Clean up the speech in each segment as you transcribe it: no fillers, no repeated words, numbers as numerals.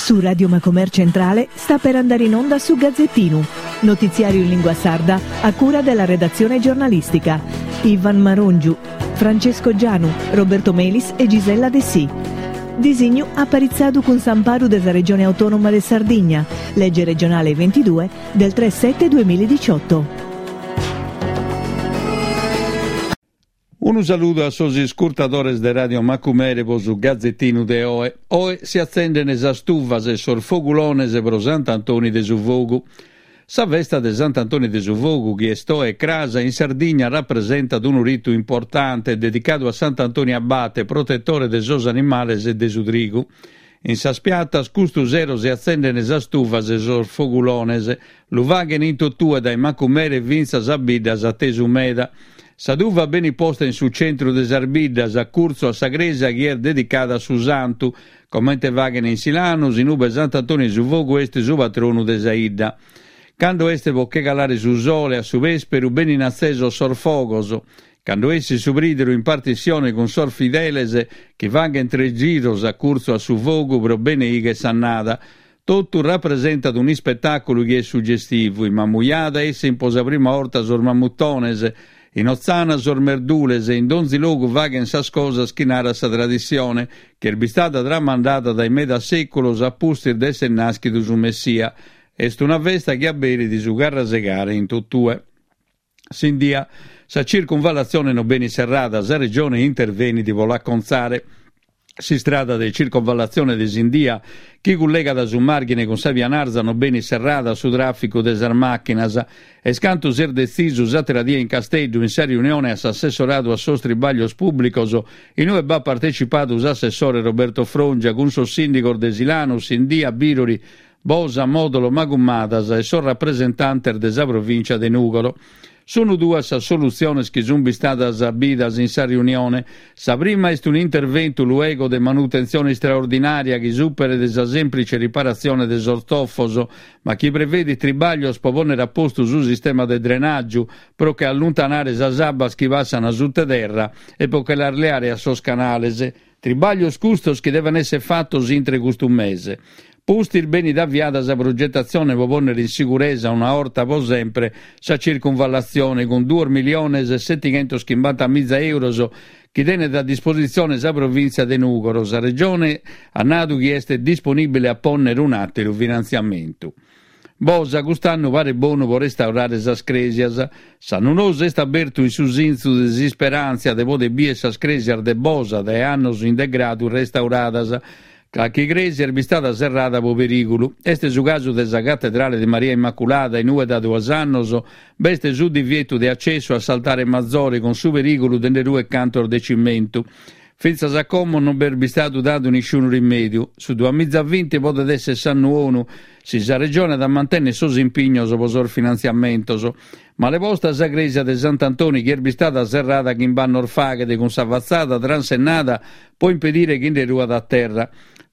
Su Radio Macomer Centrale sta per andare in onda su Gazzettinu, notiziario in lingua sarda a cura della redazione giornalistica. Ivan Marongiu, Francesco Gianu, Roberto Melis e Gisella Dessì. Disignu aparitzadu cun s'amparu de sa Regione Autonoma de Sardigna, lege regionale 22 del 3 7 2018. Unu saludu a sos iscurtadores de Radio Macumere po su Gazetinu de oe. Oe si atzenden sas tuvas e sos fogulones pro Sant'Antoni de su Fogu. Sa festa de Sant'Antoni de su Fogu, chi est oe e cras, in Sardigna rapresentat unu ritu importante dedicadu a Sant'Antoni Abate, protetore de sos animales e de su trigu. In sas piatas custu sero si atzenden sas tuvas e sos fogulones. Lu faghen in totue dae Macumere fintzas a biddas atesu meda. Sa tuva benit posta in su centru de sas biddas, a curtzu a sa crèsia chi est dedicada a su santu, comente faghen in Silanus, in ube Sant'Antoni 'e su Fogu est su patronu de sa 'idda. Cando est po che calare su sole a su pèsperu benin atzesos sos fogos. Cando essit su prìderu in partissione cun sos fideles chi faghen tres giros a curtzu a su fogu pro beneigher s'annada. Totu rapresentat un'ispetàculu chi est sugestivu, in Mamujada essin po sa prima 'orta sos mamutones, in Otzana sos merdules e in donzi logu faghen sas cosas chi narat sa tradissione, chi est bistada tramandada dae medas sèculos a pustis de esser nàschidu su Messia. Est una festa chi aberit su carrasegare in totue. Sindia, sa circunvallatzione non benit serrada, sa Regione intervenit pro l'acontzare. S'istrada de circonvallatzione de Sindia, chi cullegat su Màrghine cun sa Pianarza, non benit serrada a su tràficu de sas màchinas. Est cantu s'est detzisu s'àtera die in Casteddu, in sa riunione a s'assessoradu a sos tribàglios pùblicos, in ue b'at partecipadu s'assessore Roberto Frongia cun sos sìndigos de Silanus, Sindia, Bìrori, Bosa, Mòdolo, Magumadas e sos rapresentantes de sa provìncia de Nùgoro. Sunu duas sas solutziones chi sunt bistadas bidas in sa riunione. Sa prima est un'interventu luego de manutentzione istraordinària chi superet sa sèmplice riparatzione de sos tofos, ma chi prevedit tribàglios pro pònnere a postu su sistema de drenàgiu pro che alluntanare sas abbas chi passan sutta terra e pro che las leare a sos canales. Tribàglios custos chi devent èssere fatos intre custu mese. Pustis benit aviada sa progetatzione pro pònnere in siguresa una 'orta pro sempre sa circunvallatzione cun duos miliones e setighentoschimbantamìgia euros chi tenet a dispositzione sa Provìntzia de Nùgoro. Sa Regione at nadu chi est disponìbile a pònnere un'àteru finantziamentu. Bosa cust'annu paret bonu pro restaurare sas crèsias. S'annu nou s'est abertu in su sintzu de s'isperàntzia de poder bier sas crèsias de Bosa dae annos in degradu restauradas. Calchi crèsia est bistada serrada pro perìgulu. Est su casu de sa Catedrale de Maria Immaculada in ue da duos annos b'est su divietu de acessu a s'altare mazore cun su perìgulu de nde ruer cantos de cimentu. Fintzas a como non b'est bistadu dadu nisciunu rimèdiu. Su duamizavinti podet èssere s'annu 'onu, si sa Regione at a mantènnere sos impignos pro sos finantziamentos. Male posta sa crèsia de Sant'Antoni chi est bistada serrada chimb'annos faghet cun sa fatzada transennada pro impedire chi nde ruat a terra.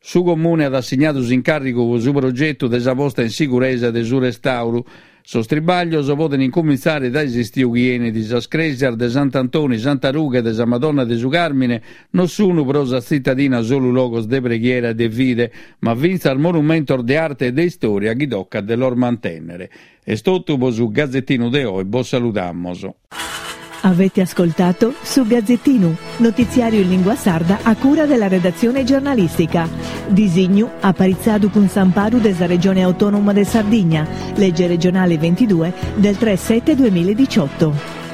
Su Comune at assignadu s'incàrrigu pro su progetu de sa posta in siguresa de su restàuru. Sos tribàglios poden incumintzare dae s'istiu chi 'enit. Sas crèsias de Sant'Antoni, Santa Rughe e de sa Madonna de su Càrmine non sunu pro sa tzitadina solu logos de preghiera e de fide, ma fintzas monumentos de arte e de istòria chi tocat de los mantènnere. Est totu pro su Gazetinu de oe, bos saludamos. Avete ascoltato Su Gazzettinu, notiziario in lingua sarda a cura della redazione giornalistica. Disignu aparitzadu cun s'amparu de sa Regione Autonoma de Sardigna, legge regionale 22 del 3 7 2018.